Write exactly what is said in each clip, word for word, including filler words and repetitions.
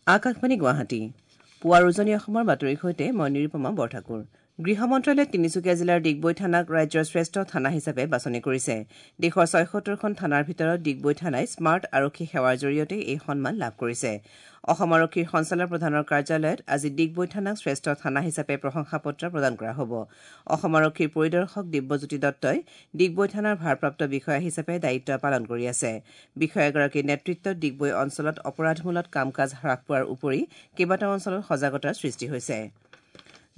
আকাশবাণী গুৱাহাটী পুৱাৰ উজনি অসমৰ বাতৰিৰ সৈতে মই নিৰুপমা বৰঠাকুৰ। গৃহ মন্ত্ৰালয়ে তিনিচুকীয়া জিলাৰ ডিগবৈ থানাক ৰাজ্যৰ শ্ৰেষ্ঠ থানা হিচাপে বাছনি কৰিছে। দেশৰ ছয়সত্তৰখন থানাৰ ভিতৰত ডিগবৈ থানাই স্মাৰ্ট আৰক্ষী সেৱাৰ জৰিয়তে এই সন্মান লাভ কৰিছে। অসম আৰক্ষীৰ সঞ্চালক প্ৰধানৰ কাৰ্যালয়ত আজি ডিগবৈ থানাক শ্ৰেষ্ঠ থানা হিচাপে প্ৰশংসা পত্ৰ প্ৰদান কৰা হ'ব। অসম আৰক্ষীৰ পৰিদৰ্শক দিব্যজ্যোতি দত্তই ডিগবৈ থানাৰ ভাৰপ্ৰাপ্ত বিষয়া হিচাপে দায়িত্ব পালন কৰি আছে। বিষয়াগৰাকীৰ নেতৃত্বত ডিগবৈ অঞ্চলত অপৰাধমূলক কাম কাজ হ্ৰাস পোৱাৰ উপৰি কেইবাটাও অঞ্চলত সজাগতাৰ সৃষ্টি হৈছে।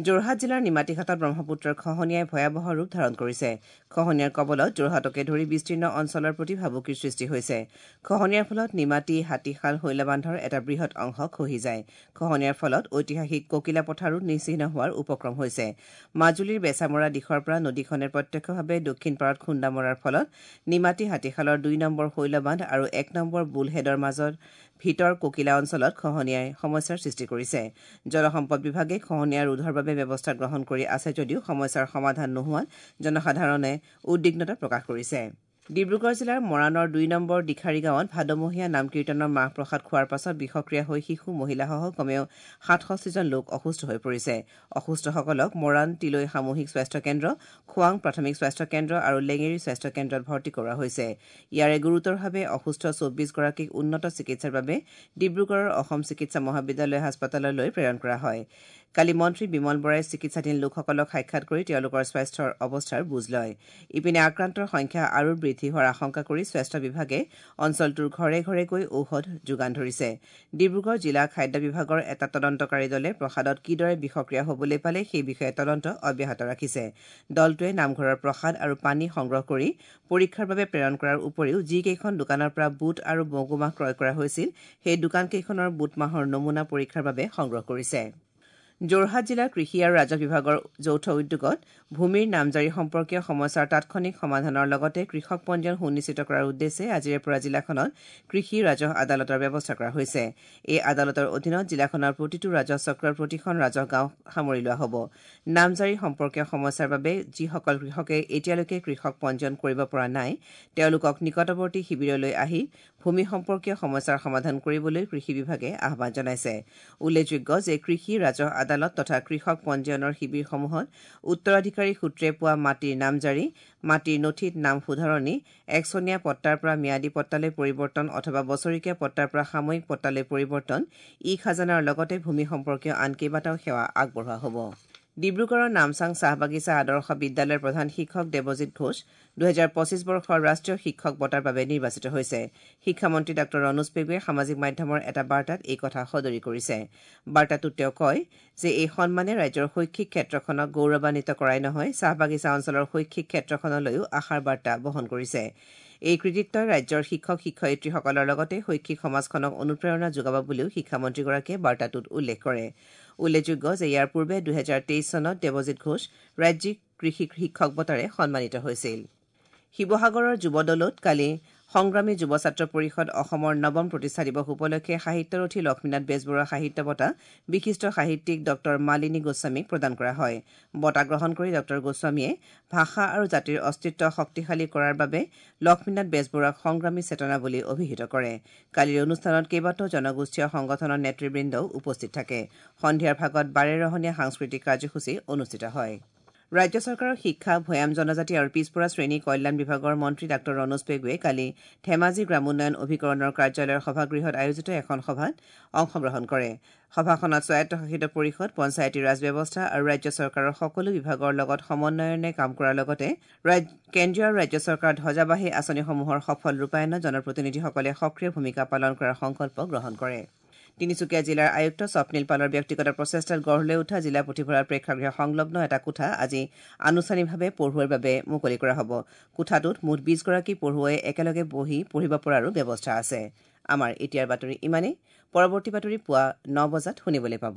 যোৰহাট জিলাৰ নিমাতীঘাটত ব্ৰহ্মপুত্ৰৰ খহনীয়াই ভয়াৱহ ৰূপ ধাৰণ কৰিছে। খহনীয়াৰ কবলত যোৰহাটকে ধৰি বিস্তীৰ্ণ অঞ্চলৰ প্ৰতি ভাবুকিৰ সৃষ্টি হৈছে। খহনীয়াৰ ফলত নিমাতী, হাতীশাল, শৈলবান্ধৰ এটা বৃহৎ অংশ খহি যায়। খহনীয়াৰ ফলত ঐতিহাসিক ককিলা পথাৰো নিশ্চিহ্ন হোৱাৰ উপক্ৰম হৈছে। মাজুলীৰ বেচামৰা দিশৰ পৰা নদীখনে প্ৰত্যক্ষভাৱে দক্ষিণ পাৰত খুন্দা মৰাৰ ফলত নিমাতী হাতীশালৰ দুই নম্বৰ শৈলবান্ধ আৰু এক নম্বৰ বুলহেডৰ মাজত ভিতৰ ককিলা অঞ্চলত খহনীয়াই সমস্যাৰ সৃষ্টি কৰিছে। জলসম্পদ বিভাগে খহনীয়া ৰোধৰ বাবে ব্যৱস্থা গ্ৰহণ কৰি আছে যদিও সমস্যাৰ সমাধান নোহোৱাত জনসাধাৰণে উদ্বিগ্নতা প্ৰকাশ কৰিছে। ডিব্ৰুগড় জিলাৰ মৰাণৰ দুই নম্বৰ দিখাৰী গাঁৱত ভাদমহীয়া নাম কীৰ্তনৰ মাহ প্ৰসাদ খোৱাৰ পাছত বিষক্ৰিয়া হৈ শিশু, মহিলাসহ কমেও সাতষষ্ঠিজন লোক অসুস্থ হৈ পৰিছে। অসুস্থসকলক মৰাণ তিলৈ সামূহিক স্বাস্থ্য কেন্দ্ৰ, খোৱাং প্ৰাথমিক স্বাস্থ্য কেন্দ্ৰ আৰু লেঙেৰী স্বাস্থ্য কেন্দ্ৰত ভৰ্তি কৰোৱা হৈছে। ইয়াৰে গুৰুতৰভাৱে অসুস্থ চৌব্বিছগৰাকীক উন্নত চিকিৎসাৰ বাবে ডিব্ৰুগড়ৰ অসম চিকিৎসা মহাবিদ্যালয় হাস্পতাললৈ প্ৰেৰণ কৰা হয়। কালি মন্ত্ৰী বিমল বৰাই চিকিৎসাধীন লোকসকলক সাক্ষাৎ কৰি তেওঁলোকৰ স্বাস্থ্যৰ অৱস্থাৰ বুজ লয়। ইপিনে আক্ৰান্তৰ সংখ্যা আৰু বৃদ্ধি হোৱাৰ আশংকা কৰি স্বাস্থ্য বিভাগে অঞ্চলটোৰ ঘৰে ঘৰে গৈ ঔষধ যোগান ধৰিছে। ডিব্ৰুগড় জিলা খাদ্য বিভাগৰ এটা তদন্তকাৰী দলে প্ৰসাদত কিদৰে বিষক্ৰিয়া হ'বলৈ পালে সেই বিষয়ে তদন্ত অব্যাহত ৰাখিছে। দলটোৱে নামঘৰৰ প্ৰসাদ আৰু পানী সংগ্ৰহ কৰি পৰীক্ষাৰ বাবে প্ৰেৰণ কৰাৰ উপৰিও যিকেইখন দোকানৰ পৰা বুট আৰু মগুমাহ ক্ৰয় কৰা হৈছিল সেই দোকানকেইখনৰ বুটমাহৰ নমুনা পৰীক্ষাৰ বাবে সংগ্ৰহ কৰিছে। যোৰহাট জিলাৰ কৃষি আৰু ৰাজহ বিভাগৰ যৌথ উদ্যোগত ভূমিৰ নামজাৰি সম্পৰ্কীয় সমস্যাৰ তাৎক্ষণিক সমাধানৰ লগতে কৃষক পঞ্জীয়ন সুনিশ্চিত কৰাৰ উদ্দেশ্যে আজিৰে পৰা জিলাখনত কৃষি ৰাজহ আদালতৰ ব্যৱস্থা কৰা হৈছে। এই আদালতৰ অধীনত জিলাখনৰ প্ৰতিটো ৰাজহ চক্ৰৰ প্ৰতিখন ৰাজহ গাঁও সামৰি লোৱা হ'ব। নামজাৰি সম্পৰ্কীয় সমস্যাৰ বাবে যিসকল কৃষকে এতিয়ালৈকে কৃষক পঞ্জীয়ন কৰিব পৰা নাই তেওঁলোকক নিকটৱৰ্তী শিবিৰলৈ আহি ভূমি সম্পৰ্কীয় সমস্যাৰ সমাধান কৰিবলৈ কৃষি বিভাগে আহ্বান জনাইছে। উল্লেখযোগ্য যে কৃষি ৰাজহ আদালত তথা কৃষক পঞ্জীয়নৰ শিবিৰসমূহত উত্তৰাধিকাৰী সূত্ৰে পোৱা মাটিৰ নামজাৰি, মাটিৰ নথিত নাম শুধৰণি, একচনীয়া পট্টাৰ পৰা ম্যাদী পট্টালৈ পৰিৱৰ্তন অথবা বছৰেকীয়া পট্টাৰ পৰা সাময়িক পট্টালৈ পৰিৱৰ্তন, ই খাজানাৰ লগতে ভূমি সম্পৰ্কীয় আন কেইবাটাও সেৱা আগবঢ়োৱা হ'ব। ডিব্ৰুগড়ৰ নামচাং চাহ বাগিচা আদৰ্শ বিদ্যালয়ৰ প্ৰধান শিক্ষক দেৱজিৎ ঘোষ দুহেজাৰ পঁচিছ বৰ্ষৰ ৰাষ্ট্ৰীয় শিক্ষক বঁটাৰ বাবে নিৰ্বাচিত হৈছে। শিক্ষামন্ত্ৰী ডাঃ ৰণোজ পেগুৱে সামাজিক মাধ্যমৰ এটা বাৰ্তাত এই কথা সদৰি কৰিছে। বাৰ্তাটোত তেওঁ কয় যে এই সন্মানে ৰাজ্যৰ শৈক্ষিক ক্ষেত্ৰখনক গৌৰৱান্বিত কৰাই নহয়, চাহ বাগিচা অঞ্চলৰ শৈক্ষিক ক্ষেত্ৰখনলৈও আশাৰ বাৰ্তা বহন কৰিছে। এই কৃতিত্বই ৰাজ্যৰ শিক্ষক শিক্ষয়িত্ৰীসকলৰ লগতে শৈক্ষিক সমাজখনক অনুপ্ৰেৰণা যোগাব বুলিও শিক্ষামন্ত্ৰীগৰাকীয়ে বাৰ্তাটোত উল্লেখ কৰে। উল্লেখযোগ্য যে ইয়াৰ পূৰ্বে দুহেজাৰ তেইছ চনত দেৱজিৎ ঘোষ ৰাজ্যিক কৃষি শিক্ষক বঁটাৰে সন্মানিত হৈছিল। শিৱসাগৰৰ যুৱ দলত কালি সংগ্ৰামী যুৱ ছাত্ৰ পৰিষদ অসমৰ নৱম প্ৰতিষ্ঠা দিৱস উপলক্ষে সাহিত্যৰথী লক্ষ্মীনাথ বেজবৰুৱা সাহিত্য বঁটা বিশিষ্ট সাহিত্যিক ডঃ মালিনী গোস্বামীক প্ৰদান কৰা হয়। বঁটা গ্ৰহণ কৰি ডঃ গোস্বামীয়ে ভাষা আৰু জাতিৰ অস্তিত্ব শক্তিশালী কৰাৰ বাবে লক্ষ্মীনাথ বেজবৰুৱাক সংগ্ৰামী চেতনা বুলি অভিহিত কৰে। কালিৰ অনুষ্ঠানত কেইবাটাও জনগোষ্ঠীয় সংগঠনৰ নেতৃবৃন্দও উপস্থিত থাকে। সন্ধিয়াৰ ভাগত বাৰেৰহণীয়া সাংস্কৃতিক কাৰ্যসূচী অনুষ্ঠিত হয়। ৰাজ্য চৰকাৰৰ শিক্ষা, ভৈয়াম জনজাতি আৰু পিছপৰা শ্ৰেণী কল্যাণ বিভাগৰ মন্ত্ৰী ডাঃ ৰণোজ পেগুৱে কালি ধেমাজি গ্ৰামোন্নয়ন অভিকৰণৰ কাৰ্যালয়ৰ সভাগৃহত আয়োজিত এখন সভাত অংশগ্ৰহণ কৰে। সভাখনত স্বায়ত্তশাসিত পৰিষদ, পঞ্চায়তী ৰাজ ব্যৱস্থা আৰু ৰাজ্য চৰকাৰৰ সকলো বিভাগৰ লগত সমন্বয়নে কাম কৰাৰ লগতে কেন্দ্ৰীয় আৰু ৰাজ্য চৰকাৰৰ ধ্বজাবাহী আঁচনিসমূহৰ সফল ৰূপায়ণত জনপ্ৰতিনিধিসকলে সক্ৰিয় ভূমিকা পালন কৰাৰ সংকল্প গ্ৰহণ কৰে। তিনিচুকীয়া জিলাৰ আয়ুক্ত স্বপ্নীল পালৰ ব্যক্তিগত প্ৰচেষ্টাত গঢ় লৈ উঠা জিলা পুথিভঁৰাল প্ৰেক্ষাগৃহ সংলগ্ন এটা কোঠা আজি আনুষ্ঠানিকভাৱে পঢ়ুৱৈৰ বাবে মুকলি কৰা হ'ব। কোঠাটোত মুঠ বিছগৰাকী পঢ়ুৱৈয়ে একেলগে বহি পঢ়িব পৰাৰো ব্যৱস্থা আছে। আমাৰ এতিয়াৰ বাতৰি ইমানেই। পৰৱৰ্তী বাতৰি পুৱা ন বজাত শুনিবলৈ পাব।